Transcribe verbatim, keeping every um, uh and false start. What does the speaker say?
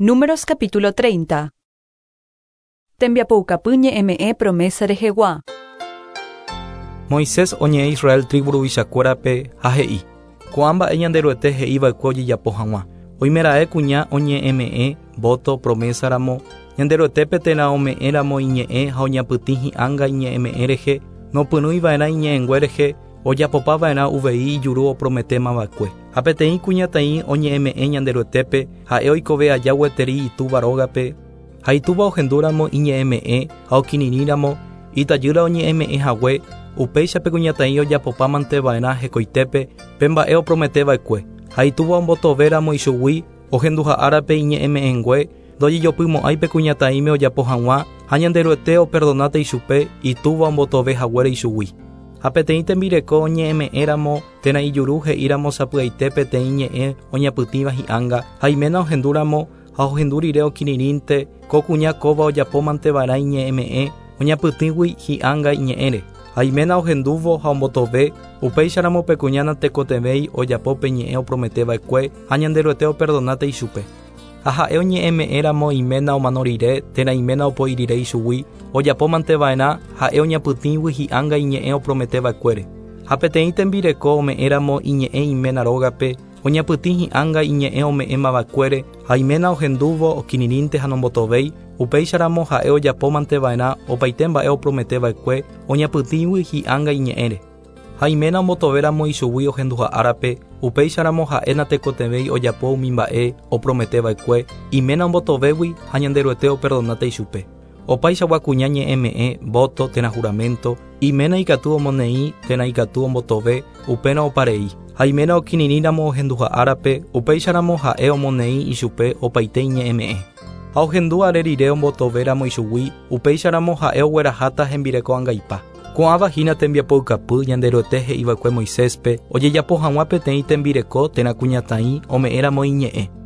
Números capítulo treinta. Tembiapoukapy ñe'ẽme'ẽ promesa rehegua. Moisés oñe'ẽ Israel tribu ruvichakuérape ha he'i: Ko'ã mba'e Ñanderuete he'iva'ekue ojejapo hag̃ua. Oimeraẽ kuña oñe'ẽme'ẽ voto promesa ramo Ñanderuetépe térã ome'ẽramo iñe'ẽ ha oñapytĩ hi'ánga iñe'ẽme'ẽ rehe, nopyrũiva'erã iñe'ẽngue rehe, ojapopava'erã uvei ijuru oprometémava'ekue. Ha peteĩ kuñataĩ oñe'ẽme'ẽ Ñanderuetépe, ha'e oikove aja gueteri itúva rógape, ha itúva ohendúramo iñe'ẽme'ẽ ha okirirĩramo, itajýra oñe'ẽme'ẽ hague, upéichape kuñataĩ ojapopamanteva'erã hekoitépe pe mba'e oprometeva'ekue. Ha itúva ombotovéramo ichugui, ohenduha'árape iñe'ẽme'ẽngue, ndojejopymo'ãi pe kuñataĩme ojapo hag̃ua ha Ñanderuete operdonáta ichupe itúva ombotove haguére ichugui. Ha peteĩ tembireko oñe'ẽme'ẽramo térã ijuru he'íramo sapy'aite peteĩ ñe'ẽ oñapytĩva hi'ánga ha iména ohendúramo ha ohendu rire okirirĩnte ko kuña kóva ojapomanteva'erã iñe'ẽme'ẽ oñapytĩgui hi'ánga iñe'ẽre. Ha iména ohendúvo ha ombotove, upéicharamo pe kuña natekotevẽi ojapo pe ñe'ẽ oprometeva'ekue ha Ñanderuete operdonáta ichupe. Ha ha'e oñe'ẽme'ẽramo iména omano rire térã iména opoi rire ichugui, ojapomanteva'erã ha'e oñapytĩgui hi'ánga iñe'ẽ oprometeva'ekuére. Ha peteĩ tembireko ome'ẽramo iñe'ẽ iména rógape, oñapytĩ hi'ánga iñe'ẽ ome'ẽmava'ekuére ha iména ohendúvo okirirĩnte ha nombotovéi, upéicharamo ha'e ojapomanteva'erã opaite mba'e oprometeva'ekue oñapytĩgui hi'ánga iñe'ẽre. Ha iména ombotovéramo ichugui ohenduha'árape, upéicharamo ha'e natekotevẽi ojapo umi mba'e oprometeva'ekue, iména ombotovégui ha Ñanderuete operdonáta ichupe. Opaichagua kuña ñe'ẽme'ẽ, voto térã juramento, iména ikatu omoneĩ térã ikatu ombotove, upérõ oparei. Ha iména okirirĩramo ohenduha'árape, upéicharamo ha'e omoneĩ ichupe opaite iñe'ẽme'ẽ. Ha ohendu are rire ombotovéramo ichugui, upéicharamo ha'e ogueraháta hembireko angaipa. Ko'ãva hína tembiapoukapy Ñanderuete he'iva'ekue Moiséspe ojejapo hag̃ua peteĩ tembireko térã kuñataĩ ome'ẽramo iñe'ẽ.